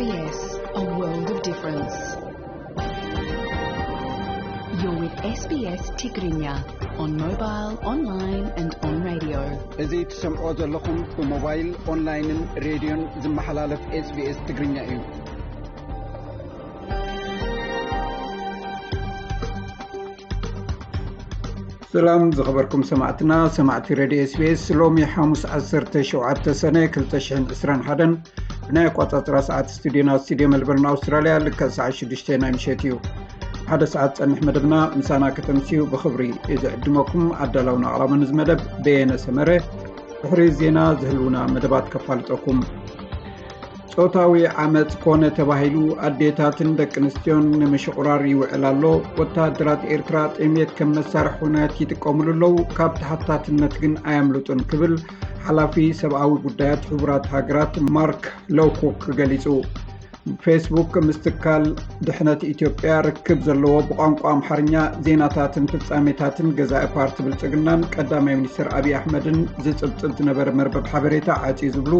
S B S, a world of difference. You're with S B S Tigrinya on mobile, online and on radio. እዚ ትሰምዖ ዘለኹም ብሞባይል፣ ኦንላይንን ሬድዮን ዝመሓላለፍ S B S ትግርኛ እዩ። ሰላም ዝኸበርኩም ሰማዕትና፣ ሰማዕቲ ሬድዮ S B S፣ ሎሚ ሓሙስ ዓሰርተ ሸውዓተ ሰነ ክልተ ሽሕን ዕስራን ሓደን ብናይ ኣቋጻጽራ ሰዓት ስቱዲዮና፣ ስቱዲዮ ሜልበርን ኣውስትራልያ፣ ልክዕ ሰዓት ሽዱሽተ ናይ ምሸት እዩ። ሓደ ሰዓት ጸንሕ መደብና ምሳና ከተምስዩ ብኽብሪ እዩ ዝዕድመኩም። ኣዳላውን ኣቕራብን እዚ መደብ በየነ ሰመረ። ድሕሪ ዜና ዝህልውና መደባት ከፋልጠኩም። ጾታዊ ዓመጽ ኮነ ተባሂሉ ኣዴታትን ደቂ ኣንስትዮን ንምሽቑራር ይውዕል ኣሎ። ወተሃደራት ኤርትራ ጥሜት ከም መሳርሒ ኩናት ይጥቀሙሉ ኣለዉ፣ ካብ ተሓታትነት ግን ኣየምልጡን ክብል ሓላፊ ሰብኣዊ ጉዳያት ሕቡራት ሃገራት ማርክ ሎውኮክ ገሊጹ። ፌስቡክ ምስ ትካል ድሕነት ኢትዮጵያ ርክብ ዘለዎ ብቋንቋ ኣምሓርኛ ዜናታትን ፍጻሜታትን ገዛኢ ፓርቲ ብልጽግናን ቀዳማይ ሚኒስትር ኣብይ ኣሕመድን ዝጽብጽብ ዝነበረ መርበብ ሓበሬታ ዓጽዩ ዝብሉ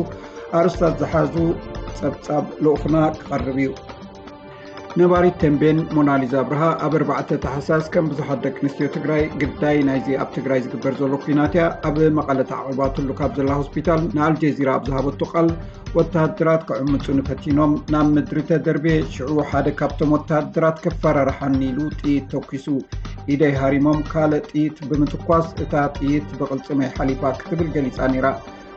ኣርእስታት ዝሓዙ ጸብጻብ ልኡኽና ክቐርብ እዩ። ነባሪት ተምቤን ሞናሊዛ ኣብርሃ ኣብ ኣርባዕተ ታሕሳስ ከም ብዙሓት ደቂ ኣንስትዮ ትግራይ ግዳይ ናይዚ ኣብ ትግራይ ዝግበር ዘሎ ኲናት እያ። ኣብ መቐለ ተዓቒባትሉ ካብ ዘላ ሆስፒታል ንኣልጀዚራ ኣብ ዝሃበቶ ቃል፣ ወተሃደራት ክዕምጹኒ ፈቲኖም፣ ናብ ምድሪ ተደርብየ፣ ሽዑ ሓደ ካብቶም ወተሃደራት ከፈራርሓኒ ኢሉ ጥይት ተኲሱ። ኢደይ ሃሪሞም ካልእ ጥይት ብምትኳስ እታ ጥይት ብቕልጽመይ ሓሊፋ ክትብል ገሊጻ ነይራ።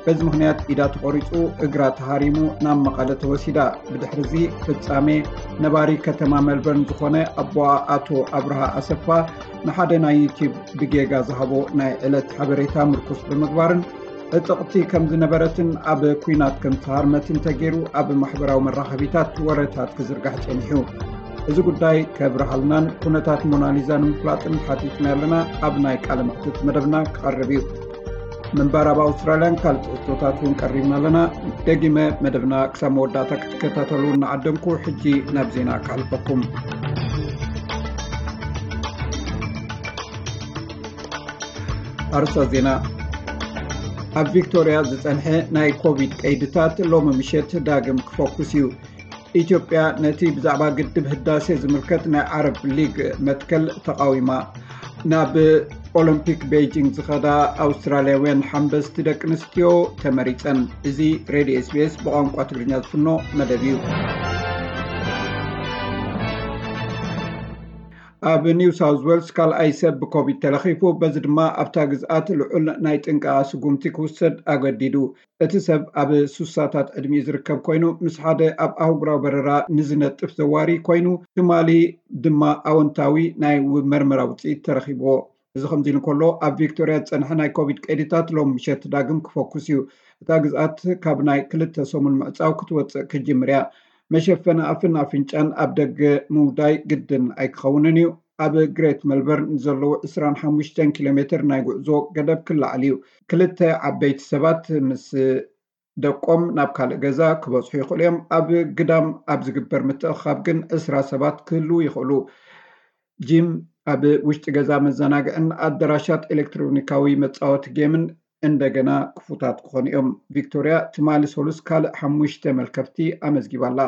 በዚ ምኽንያት ኢዳ ተቖሪጹ፣ እግራ ተሃሪሙ ናብ መቐለ ተወሲዳ። ብድሕርዚ ፍጻሜ ነባሪ ከተማ ሜልበርን ዝኾነ ኣቦኣ ኣቶ ኣብርሃ ኣሰፋ ንሓደ ናይ ዩቲዩብ ብጌጋ ዝሃቦ ናይ ዕለት ሓበሬታ ምርኩስ ብምግባርን ዕጥቕቲ ከም ዝነበረትን ኣብ ኲናት ከም ዝተሃርመትን ተገይሩ ኣብ ማሕበራዊ መራኸቢታት ወረታት ክዝርጋሕ ጸኒሑ። እዚ ጉዳይ ከብርሃልናን ኩነታት ሞናሊዛ ንምፍላጥን ሓቲትና ኣለና። ኣብ ናይ ቃለ መሕትት መደብና ክቐርብ እዩ። ምንባር ኣብ ኣውስትራልያን ካልእ ትሕዝቶታት እውን ቀሪብና ኣለና። ደጊመ መደብና ክሳብ መወዳእታ ክትከታተሉ እናዓደምኩ፣ ሕጂ ናብ ዜና ክሓልፈኩም። ኣርእስታት ዜና። ኣብ ቪክቶርያ ዝጸንሐ ናይ ኮቪድ ቀይድታት ሎሚ ምሸት ዳግም ክፈኩስ እዩ። ኢትዮጵያ ነቲ ብዛዕባ ግድብ ህዳሴ ዝምልከት ናይ ዓረብ ሊግ መትከል ተቓዊማ። ናብ ኦሎምፒክ ቤይጂንግ ዝኸዳ ኣውስትራልያውያን ሓንበስቲ ደቂ ኣንስትዮ ተመሪጸን። እዚ ሬድዮ S B S ብቋንቋ ትግርኛ ዝፍኖ መደብ እዩ። ኣብ ኒው ሳውዝ ዌልስ ካልኣይ ሰብ ብኮቪድ ተለኺፉ፣ በዚ ድማ ኣብታ ግዝኣት ልዑል ናይ ጥንቃቐ ስጉምቲ ክውሰድ ኣገዲዱ። እቲ ሰብ ኣብ ሱሳታት ዕድሚኡ ዝርከብ ኮይኑ፣ ምስ ሓደ ኣብ ኣህጉራዊ በረራ ንዝነጥፍ ዘዋሪ ኮይኑ፣ ትማሊ ድማ ኣወንታዊ ናይ ው-፣ መርመራ ውጽኢት ተረኺብዎ። እዚ ከምዚ ኢሉ እንከሎ፣ ኣብ ቪክቶርያ ዝጸንሐ ናይ ኮቪድ ቀይድታት ሎም ምሸት ዳግም ክፈኩስ እዩ። እታ ግዝኣት ካብ ናይ ክልተ ሰሙን ምዕጻው ክትወጽእ ክጅምር እያ። መሸፈኒ ኣፍን ኣፍንጫን ኣብ ደገ ምውዳይ ግድን ኣይክኸውንን እዩ። ኣብ ግሬት ሜልበርን ንዘለዉ ዕስራን ሓሙሽተን ኪሎ ሜትር ናይ ጉዕዞ ገደብ ክለዓል እዩ። ክልተ ዓበይቲ ሰባት ምስ ደቆም ናብ ካልእ ገዛ ክበጽሑ ይኽእሉ እዮም። ኣብ ግዳም ኣብ ዝግበር ምትእኽኻብ ግን ዕስራ ሰባት ክህልዉ ይኽእሉ። ጂም፣ ኣብ ውሽጢ ገዛ መዘናግዕን ኣዳራሻት ኤሌክትሮኒካዊ መጻወቲ ጌምን እንደገና ክፉታት ክኾኑ እዮም። ቪክቶርያ ትማሊ ሰሉስ ካልእ ሓሙሽተ መልከፍቲ ኣመዝጊባ ኣላ።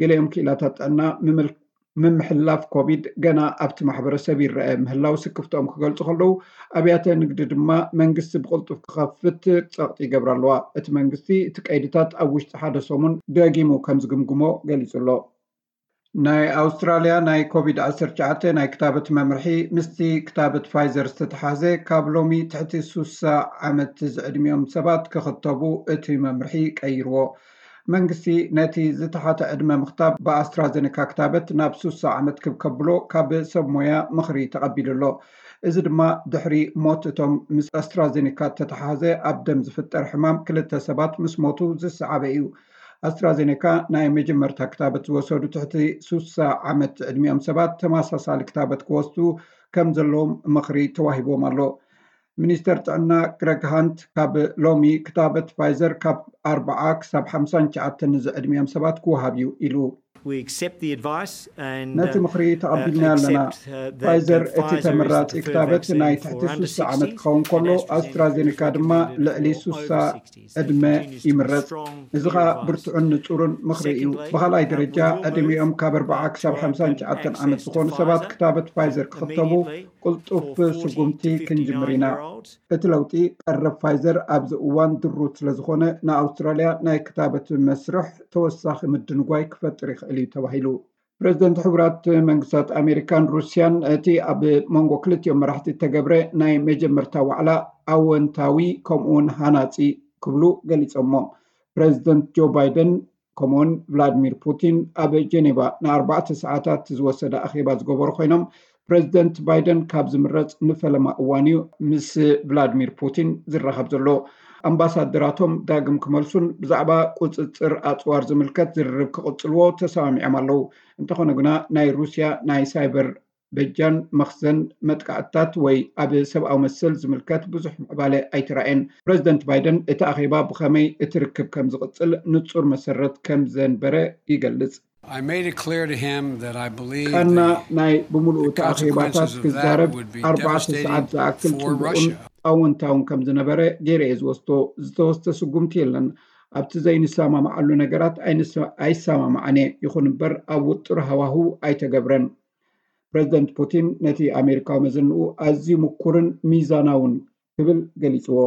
ገሊኦም ክኢላታት ጥዕና ምምል-፣ ምምሕልላፍ ኮቪድ ገና ኣብቲ ማሕበረሰብ ይረአ ምህላው ስክፍትኦም ክገልጹ ከለዉ፣ ኣብያተ ንግዲ ድማ መንግስቲ ብቕልጡፍ ክኸፍት ጸቕጢ ይገብራ ኣለዋ። እቲ መንግስቲ እቲ ቀይድታት ኣብ ውሽጢ ሓደ ሰሙን ደጊሙ ከም ዝግምግሞ ገሊጹ ኣሎ። ናይ ኣውስትራልያ ናይ ኮቪድ ዓሰርተ ትሽዓተ ናይ ክታበት መምርሒ ምስቲ ክታበት ፋይዘር ዝተተሓዘ፣ ካብ ሎሚ ትሕቲ ሱሳ ዓመት ዝዕድሚኦም ሰባት ክኽተቡ እቲ መምርሒ ቀይርዎ። መንግስቲ ነቲ ዝተሓተ ዕድመ ምኽታብ ብኣስትራዘኔካ ክታበት ናብ ሱሳ ዓመት ክብ ከብሎ ካብ ሰብ ሞያ ምኽሪ ተቐቢሉ ኣሎ። እዚ ድማ ድሕሪ ሞት እቶም ምስ ኣስትራዘኔካ እተተሓዘ ኣብ ደም ዝፍጠር ሕማም ክልተ ሰባት ምስ ሞቱ ዝሰዓበ እዩ። ኣስትራዘኔካ ናይ መጀመርታ ክታበት ዝወሰዱ ትሕቲ ሱሳ ዓመት ዕድሚኦም ሰባት ተመሳሳሊ ክታበት ክወስዱ ከም ዘለዎም ምኽሪ ተዋሂቦም ኣሎ። ሚኒስተር ጥዕና ግረግ ሃንት ካብ ሎሚ ክታበት ፋይዘር ካብ ኣርብዓ ክሳብ ሓምሳን ትሽዓተን ንዝዕድሚኦም ሰባት ክወሃብ እዩ ኢሉ። ነቲ ምኽሪ ተቐቢልና ኣለና። ፋይዘር እቲ ተመራጺ ክታበት ናይ ትሕቲ ሱሳ ዓመት ክኸውን ከሎ፣ ኣስትራዜኒካ ድማ ልዕሊ ሱሳ ዕድመ ይምረጽ። እዚ ኸኣ ብርቱዕን ንጹርን ምኽሪ እዩ። ብኻልኣይ ደረጃ፣ ዕድሚኦም ካብ ኣርብዓ ክሳብ ሓምሳን ትሽዓተን ዓመት ዝኾኑ ሰባት ክታበት ፋይዘር ክኽተቡ ቅልጡፍ ስጉምቲ ክንጅምር ኢና። እቲ ለውጢ ቀረብ ፋይዘር ኣብዚ እዋን ድሩት ስለ ዝኾነ፣ ንኣውስትራልያ ናይ ክታበት መስርሕ ተወሳኺ ምድንጓይ ክፈጥር ይኽእል እዩ ተባሂሉ። ፕረዚደንት ሕቡራት መንግስታት ኣሜሪካን ሩስያን እቲ ኣብ መንጎ ክልቲኦም መራሕቲ እተገብረ ናይ መጀመርታ ዋዕላ ኣወንታዊ ከምኡውን ሃናጺ ክብሉ ገሊጾሞ። ፕረዚደንት ጆ ባይደን ከምኡውን ቭላድሚር ፑቲን ኣብ ጀኔቫ ንኣርባዕተ ሰዓታት ዝወሰደ ኣኼባ ዝገበሩ ኮይኖም፣ ፕረዚደንት ባይደን ካብ ዝምረጽ ንፈለማ እዋን እዩ ምስ ቭላድሚር ፑቲን ዝራኸብ ዘሎ። ኣምባሳደራቶም ዳግም ክመልሱን ብዛዕባ ቁጽጽር ኣጽዋር ዝምልከት ዝርርብ ክቕጽልዎ ተሰማሚዖም ኣለዉ። እንተኾነ ግና ናይ ሩስያ ናይ ሳይበር በጃን መኽዘን መጥቃዕትታት ወይ ኣብ ሰብኣዊ መሰል ዝምልከት ብዙሕ ምዕባለ ኣይተራእየን። ፕረዚደንት ባይደን እቲ ኣኼባ ብኸመይ እቲ ርክብ ከም ዝቕጽል ንጹር መሰረት ከም ዘንበረ ይገልጽ። I made it clear to him that I believe ቀና ናይ ብምሉኡ እቲ ኣኼባታት ክዛረብ ኣርባዕተ ሰዓት ዝኣክል ጽቡቕን ኣወንታውን ከም ዝነበረ ገይረ እየ ዝወስዶ። ዝተወስደ ስጉምቲ የለን። ኣብቲ ዘይንሰማማዓሉ ነገራት ኣይንሰ- ኣይሰማማዕን እየ። ይኹን እምበር ኣብ ውጥር ሃዋህው ኣይተገብረን። ፕረዚደንት ፑቲን ነቲ ኣሜሪካዊ መዘንኡ ኣዝዩ ምኩርን ሚዛናውን ክብል ገሊጽዎ።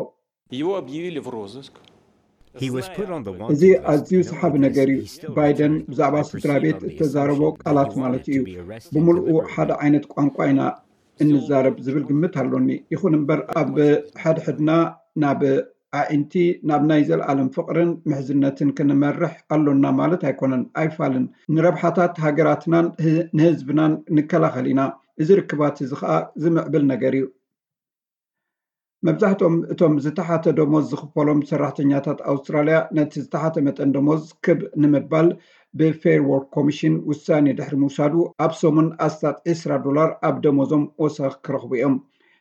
እዚ ኣዝዩ ሰሓቢ ነገር እዩ። ባይደን ብዛዕባ ስድራ ቤት እተዛረቦ ቃላት ማለት እዩ። ብምልኡ ሓደ ዓይነት ቋንቋ ኢና እንዛረብ ዝብል ግምት ኣሎኒ። ይኹን እምበር ኣብ ሕድሕድና ናብ ኣዒንቲ ናብ ናይ ዘለኣለም ፍቕርን ምሕዝነትን ክንመርሕ ኣሎና ማለት ኣይኮነን። ኣይፋልን። ንረብሓታት ሃገራትናን ንህዝብናን ንከላኸል ኢና። እዚ ርክባት እዚ ኸኣ ዝምዕብል ነገር እዩ። መብዛሕትኦም እቶም ዝተሓተ ደሞዝ ዝኽፈሎም ሰራሕተኛታት ኣውስትራልያ ነቲ ዝተሓተ መጠን ደሞዝ ክብ ንምባል ብፌር ወርክ ኮሚሽን ውሳኔ ድሕሪ ምውሳዱ ኣብ ሰሙን ኣስታት ዕስራ ዶላር ኣብ ደሞዞም ወሰኽ ክረኽቡ እዮም።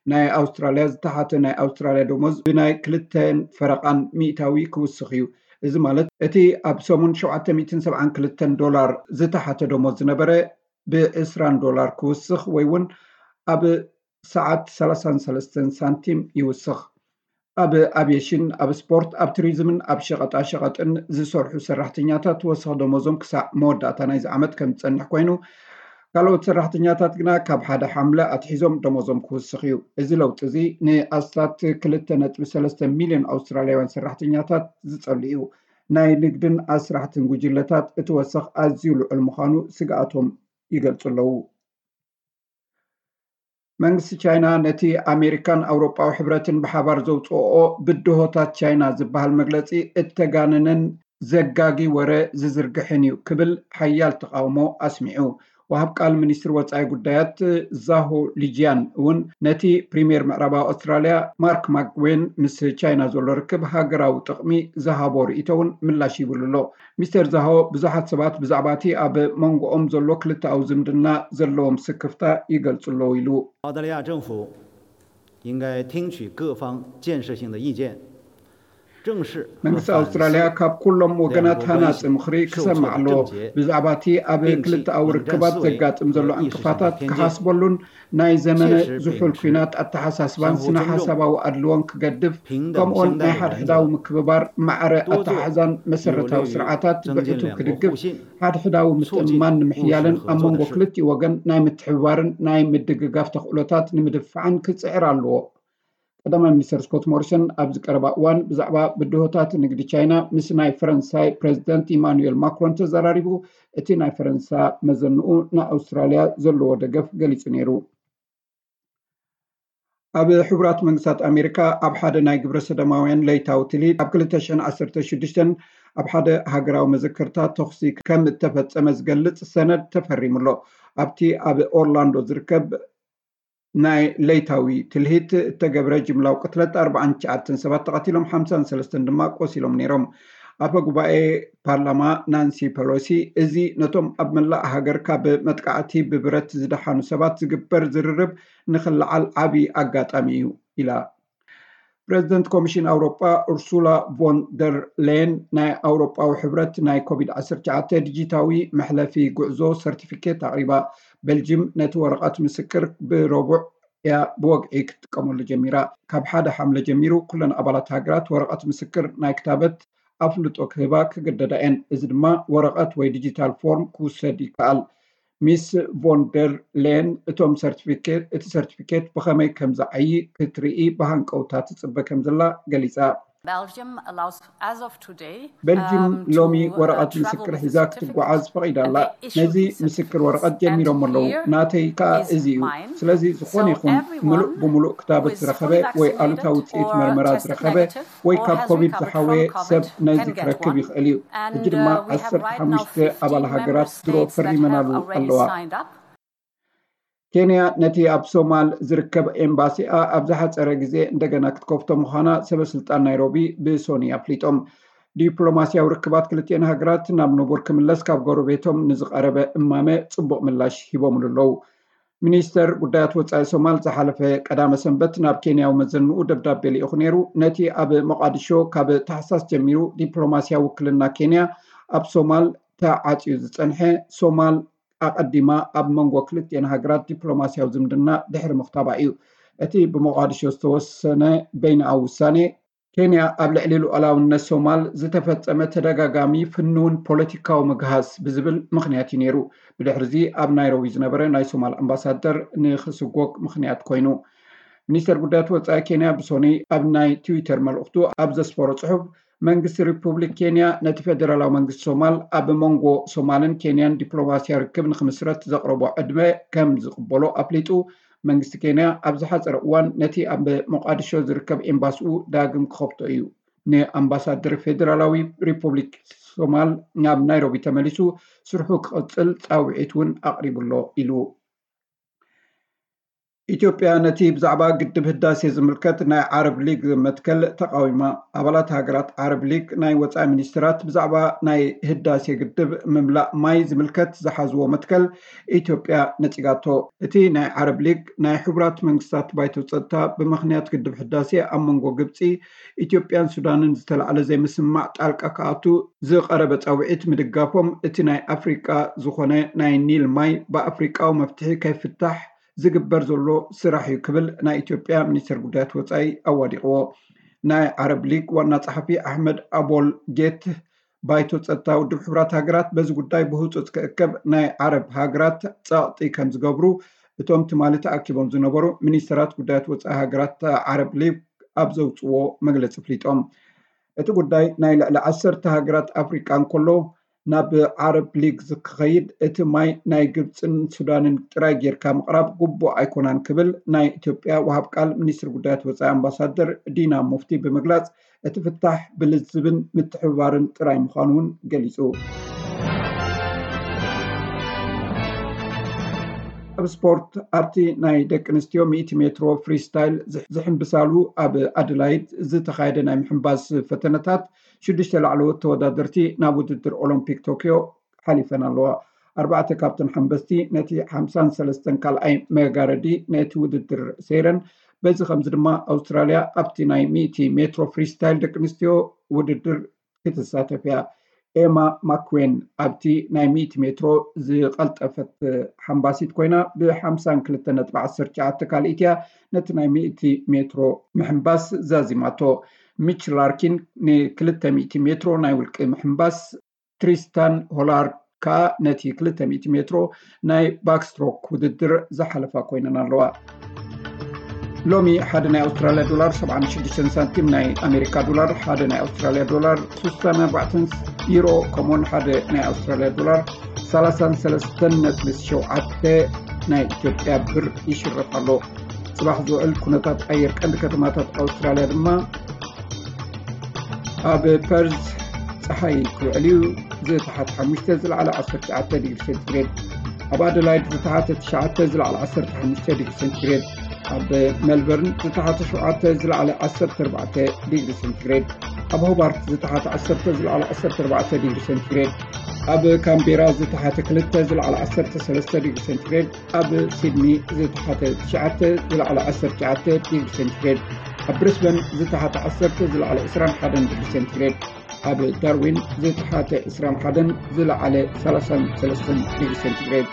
ናይ ኣውስትራልያ ዝተሓተ ናይ ኣውስትራልያ ደሞዝ ብናይ ክልተን ፈረቓን ሚእታዊ ክውስኽ እዩ። እዚ ማለት እቲ ኣብ ሰሙን ሸውዓተ ሚእትን ሰብዓን ክልተን ዶላር ዝተሓተ ደሞዝ ዝነበረ ብዕስራን ዶላር ክውስኽ ወይ እውን ኣብ ሰዓት ሰላሳን ሰለስተን ሳንቲም ይውስኽ። ኣብ ኣቪየሽን፣ ኣብ ስፖርት፣ ኣብ ቱሪዝምን ኣብ ሸቐጣ ሸቐጥን ዝሰርሑ ሰራሕተኛታት ወሰኽ ደሞዞም ክሳዕ መወዳእታ ናይዚ ዓመት ከም ዝጸንሕ ኮይኑ፣ ካልኦት ሰራሕተኛታት ግና ካብ ሓደ ሓምለ ኣትሒዞም ደሞዞም ክውስኽ እዩ። እዚ ለውጢ እዚ ንኣስታት ክልተ ነጥቢ ሰለስተ ሚልዮን ኣውስትራልያውያን ሰራሕተኛታት ዝጸሉ እዩ። ናይ ንግድን ኣስራሕትን ጉጅለታት እቲ ወሰኽ ኣዝዩ ልዑል ምዃኑ ስግኣቶም ይገልጹ ኣለዉ። መንግስቲ ቻይና ነቲ ኣሜሪካን ኣውሮጳዊ ሕብረትን ብሓባር ዘውፅኦኦ ብድሆታት ቻይና ዝበሃል መግለፂ እተጋነነን ዘጋጊ ወረ ዝዝርግሕን እዩ ክብል ሓያል ተቓውሞ ኣስሚዑ። ወሃብ ቃል ሚኒስትሪ ወፃኢ ጉዳያት ዛሆ ሊጂያን እውን ነቲ ፕሪምየር ምዕራባዊ ኣውስትራልያ ማርክ ማክጉዌን ምስ ቻይና ዘሎ ርክብ ሃገራዊ ጥቕሚ ዝሃቦ ርእይቶ እውን ምላሽ ይብሉ ኣሎ። ሚስተር ዛሆ ብዙሓት ሰባት ብዛዕባ እቲ ኣብ መንጎኦም ዘሎ ክልተኣዊ ዝምድና ዘለዎም ስክፍታ ይገልጹ ኣለዉ ኢሉ። 澳大利亚政府应该听取各方建设性的意见，正视和 መንግስቲ 反思 ኣውስትራልያ ካብ ኩሎም ወገናት ሃናጺ ምኽሪ ክሰምዕ ኣለዎ። ብዛዕባ እቲ ኣብ ክልተኣዊ ርክባት ዘጋጥም ዘሎ ዕንቅፋታት ክሓስበሉን ናይ ዘመነ ዝሑል ኲናት ኣተሓሳስባን ስነ ሓሳባዊ ኣድልዎን ክገድፍ፣ ከምኡውን ናይ ሓድሕዳዊ ምክብባር ማዕረ ኣተሓሕዛን መሰረታዊ ስርዓታት ብዕቱብ ክድግፍ፣ ሓድሕዳዊ ምትእምማን ንምሕያልን ኣብ መንጎ ክልቲኡ ወገን ናይ ምትሕብባርን ናይ ምድግጋፍ ተኽእሎታት ንምድፋዕን ክጽዕር ኣለዎ። ቀዳማይ ሚኒስተር ስኮት ሞሪሰን ኣብዚ ቀረባ እዋን ብዛዕባ ብድሆታት ንግዲ ቻይና ምስ ናይ ፈረንሳይ ፕረዚደንት ኢማኑኤል ማክሮን ተዘራሪቡ፣ እቲ ናይ ፈረንሳ መዘንኡ ንኣውስትራልያ ዘለዎ ደገፍ ገሊጹ ነይሩ። ኣብ ሕቡራት መንግስታት ኣሜሪካ ኣብ ሓደ ናይ ግብረ ሰዶማውያን ለይታዊ ትልሂት ኣብ ክልተ ሽሕን ዓሰርተ ሽዱሽተን ኣብ ሓደ ሃገራዊ መዘከርታ ተኹሲ ከም እተፈጸመ ዝገልጽ ሰነድ ተፈሪሙ ኣሎ። ኣብቲ ኣብ ኦርላንዶ ዝርከብ ናይ ለይታዊ ትልሂት እተገብረ ጅምላዊ ቅትለት ኣርባዓን ትሽዓተን ሰባት ተቐቲሎም፣ ሓምሳን ሰለስተን ድማ ቆሲሎም ነይሮም። ኣፈ ጉባኤ ፓርላማ ናንሲ ፐሎሲ፣ እዚ ነቶም ኣብ መላእ ሃገር ካብ መጥቃዕቲ ብብረት ዝደሓኑ ሰባት ዝግበር ዝርርብ ንኽለዓል ዓቢ ኣጋጣሚ እዩ ኢላ። ፕሬዚደንት ኮሚሽን ኣውሮጳ ኡርሱላ ቮን ደር ሌየን ናይ ኣውሮጳዊ ሕብረት ናይ ኮቪድ ዓሰርተ ትሽዓተ ዲጂታዊ መሕለፊ ጉዕዞ ሰርቲፊኬት ኣቕሪባ። ቤልጅም ነቲ ወረቐት ምስክር ብረቡዕ እያ ብወግዒ ክትጥቀመሉ ጀሚራ። ካብ ሓደ ሓምለ ጀሚሩ ኩለን ኣባላት ሃገራት ወረቐት ምስክር ናይ ክታበት ኣፍልጦ ክህባ ክግደዳ እየን። እዚ ድማ ወረቐት ወይ ዲጂታል ፎርም ክውሰድ ይከኣል። ሚስ ቮን ደር ሌን እቶም ሰርቲፊኬት እቲ ሰርቲፊኬት ብኸመይ ከም ዝዓዪ ክትርኢ ብሃንቀውታ ትጽበ ከም ዘላ ገሊጻ። Belgium allows, as of today, ቤልጅም um, ሎሚ to, uh, ወረቐት travel ምስክር with a ሒዛ certificate ክትጓዓዝ ፈቒዳ ኣላ። And they issue ነዚ this ምስክር certificate ወረቐት ጀሚሮም ኣለዉ። ናተይ ከኣ እዚ እዩ። ስለዚ ዝኾነ ይኹን ምሉእ ብምሉእ ክታበት ዝረኸበ ወይ ኣሉታዊ ውፅኢት መርመራ ዝረኸበ ወይ ካብ ኮቪድ ዝሓወየ ሰብ ነዚ ክረክብ ይኽእል እዩ። ሕጂ ድማ ዓሰርተ ሓሙሽተ ኣባል ሃገራት ድሮ ፈሪመናሉ ኣለዋ። ኬንያ ነቲ ኣብ ሶማል ዝርከብ ኤምባሲኣ ኣብ ዝሓጸረ ግዜ እንደገና ክትከፍቶ ምዃና ሰበ ስልጣን ናይሮቢ ብሶኒ ኣፍሊጦም። ዲፕሎማስያዊ ርክባት ክልቲኤን ሃገራት ናብ ንቡር ክምለስ ካብ ጎረቤቶም ንዝቐረበ እማመ ጽቡቕ ምላሽ ሂቦምሉ ኣለዉ። ሚኒስተር ጉዳያት ወጻኢ ሶማል ዝሓለፈ ቀዳመ ሰንበት ናብ ኬንያዊ መዘንኡ ደብዳቤ ልኢኹ ነይሩ። ነቲ ኣብ ሞቓዲሾ ካብ ታሕሳስ ጀሚሩ ዲፕሎማስያዊ ውክልና ኬንያ ኣብ ሶማል ተዓጽዩ ዝጸንሐ ሶማል ኣቐዲማ ኣብ መንጎ ክልቲኤን ሃገራት ዲፕሎማስያዊ ዝምድና ድሕሪ ምኽታባ እዩ። እቲ ብሞቓዲሾ ዝተወሰነ በይንኣዊ ውሳኔ ኬንያ ኣብ ልዕሊ ሉዓላውነት ሶማል ዝተፈጸመ ተደጋጋሚ ፍኑውን ፖለቲካዊ ምግሃስ ብዝብል ምኽንያት እዩ ነይሩ። ብድሕርዚ ኣብ ናይሮቢ ዝነበረ ናይ ሶማል ኣምባሳደር ንኽስጎግ ምኽንያት ኮይኑ። ሚኒስተር ጉዳያት ወጻኢ ኬንያ ብሶኒ ኣብ ናይ ትዊተር መልእኽቱ ኣብ ዘስፈሮ ጽሑፍ መንግስቲ ሪፑብሊክ ኬንያ ነቲ ፌደራላዊ መንግስቲ ሶማል ኣብ መንጎ ሶማልን ኬንያን ዲፕሎማስያ ርክብ ንክምስረት ዘቕረቦ ዕድመ ከም ዝቕበሎ ኣፍሊጡ። መንግስቲ ኬንያ ኣብ ዝሓጸረ እዋን ነቲ ኣብ ሞቓዲሾ ዝርከብ ኤምባሲኡ ዳግም ክኸፍቶ እዩ። ንኣምባሳደር ፌደራላዊ ሪፑብሊክ ሶማል ናብ ናይሮቢ ተመሊሱ ስርሑ ክቕጽል ጻውዒት እውን ኣቕሪቡ ኣሎ ኢሉ። ኢትዮጵያ ነቲ ብዛዕባ ግድብ ህዳሴ ዝምልከት ናይ ዓረብ ሊግ መትከል ተቓዊማ። ኣባላት ሃገራት ዓረብ ሊግ ናይ ወጻኢ ሚኒስትራት ብዛዕባ ናይ ህዳሴ ግድብ ምምላእ ማይ ዝምልከት ዝሓዝዎ መትከል ኢትዮጵያ ነጺጋቶ። እቲ ናይ ዓረብ ሊግ ናይ ሕቡራት መንግስታት ባይቶ ጸጥታ ብምኽንያት ግድብ ህዳሴ ኣብ መንጎ ግብጺ፣ ኢትዮጵያን ሱዳንን ዝተላዕለ ዘይምስምማዕ ጣልቃ ክኣቱ ዝቐረበ ጻውዒት ምድጋፎም፣ እቲ ናይ ኣፍሪቃ ዝኾነ ናይ ኒል ማይ ብኣፍሪቃዊ መፍትሒ ከይፍታሕ ዝግበር ዘሎ ስራሕ እዩ ክብል ናይ ኢትዮጵያ ሚኒስትር ጉዳያት ወጻኢ ኣዋዲቕዎ። ናይ ዓረብ ሊግ ዋና ጸሓፊ ኣሕመድ ኣቦል ጌት ባይቶ ጸጥታ ውድብ ሕቡራት ሃገራት በዚ ጉዳይ ብህጹጽ ክእከብ ናይ ዓረብ ሃገራት ጸቕጢ ከም ዝገብሩ እቶም ትማሊ ተኣኪቦም ዝነበሩ ሚኒስትራት ጉዳያት ወጻኢ ሃገራት ዓረብ ሊግ ኣብ ዘውጽዎ መግለጺ ኣፍሊጦም። እቲ ጉዳይ ናይ ልዕሊ ዓሰርተ ሃገራት ኣፍሪቃ እንከሎ ናብ ዓረብ ሊግ ክኸይድ እቲ ማይ ናይ ግብፅን ሱዳንን ጥራይ ጌርካ ምቕራብ ግቡእ ኣይኮናን ክብል ናይ ኢትዮጵያ ወሃብ ቃል ሚኒስትር ጉዳያት ወፃኢ ኣምባሳደር ዲና ሙፍቲ ብምግላፅ እቲ ፍታሕ ብልዝብን ምትሕብባርን ጥራይ ምዃኑ እውን ገሊፁ። ኣብ ስፖርት ኣብቲ ናይ ደቂ ኣንስትዮ ሚእቲ ሜትሮ ፍሪስታይል ዝሕምብሳሉ ኣብ ኣደላይድ ዝተኻየደ ናይ ምሕምባስ ፈተነታት ሽዱሽተ ላዕለዎት ተወዳደርቲ ናብ ውድድር ኦሎምፒክ ቶኪዮ ሓሊፈን ኣለዋ። ኣርባዕተ ካብተን ሓምበስቲ ነቲ ሓምሳን ሰለስተን ካልኣይ መጋረዲ ነቲ ውድድር ሰይረን። በዚ ከምዚ ድማ ኣውስትራልያ ኣብቲ ናይ ሚእቲ ሜትሮ ፍሪስታይል ደቂ ኣንስትዮ ውድድር ክትሳተፍ እያ። ኤማ ማክዌን ኣብቲ ናይ ሚእቲ ሜትሮ ዝቐልጠፈት ሓምባሲት ኮይና ብ ሓምሳን ክልተ ነጥቢ ዓሰርተ ትሽዓተ ካልኢት እያ ነቲ ናይ ሚእቲ ሜትሮ ምሕምባስ ዛዚማቶ። ሚች ላርኪን ንክልተ ሚእቲ ሜትሮ ናይ ውልቂ ምሕምባስ ትሪስታን ሆላርድ ከኣ ነቲ ክልተ ሚእቲ ሜትሮ ናይ ባክስትሮክ ውድድር ዝሓለፋ ኮይነን ኣለዋ። ሎሚ ሓደ ናይ ኣውስትራልያ ዶላር ሰብዓን ሽዱሽተን ሳንቲም፣ ናይ ኣሜሪካ ዶላር ሓደ ናይ ኣውስትራልያ ዶላር ስሳን ኣርባዕተን፣ ዩሮ ከምኡውን ሓደ ናይ ኣውስትራልያ ዶላር ሰላሳን ሰለስተን ነጥቢ ሸውዓተ ናይ ኢትዮጵያ ብር ይሽረፍ ኣሎ። ጽባሕ ዝውዕል ኩነታት ኣየር ቀንዲ ከተማታት ኣውስትራልያ ድማ ኣብ ፐርዝ ጸሓይ ክውዕል እዩ። ዝተሓተ ሓሙሽተ ዝለዓለ ዓሰርተ ትሽዓተ ዲግሪ ሴንቲግሬድ፣ ኣብ ኣደላይድ ዝተሓተ ትሽዓተ ዝለዓለ ዓሰርተ ሓሙሽተ ዲግሪ ሴንቲግሬድ፣ ኣብ ሜልበርን ዝተሓተ ሸውዓተ ዝለዓለ ዓሰርተ ኣርባዕተ ዲግሪ ሴንቲግሬድ፣ ኣብ ሆባርት ዝተሓተ ዓሰርተ ዝለዓለ ዓሰርተ ኣርባዕተ ዲግሪ ሴንቲግሬድ፣ ኣብ ካምቤራ ዝተሓተ ክልተ ዝለዓለ ዓሰርተ ሰለስተ ዲግሪ ሴንቲግሬድ፣ ኣብ ሲድኒ ዝተሓተ ትሽዓተ ዝለዓለ ዓሰርተ ትሽዓተ ዲግሪ ሴንቲግሬድ፣ ኣብ ብሪስበን ዝተሓተ ዓሰርተ ዝለዓለ ዕስራን ሓደን ዲግሪ ሴንቲግሬድ፣ ኣብ ዳርዊን ዝተሓተ ዕስራን ሓደን ዝለዓለ ሰላሳን ሰለስተን ዲግሪ ሴንቲግሬድ።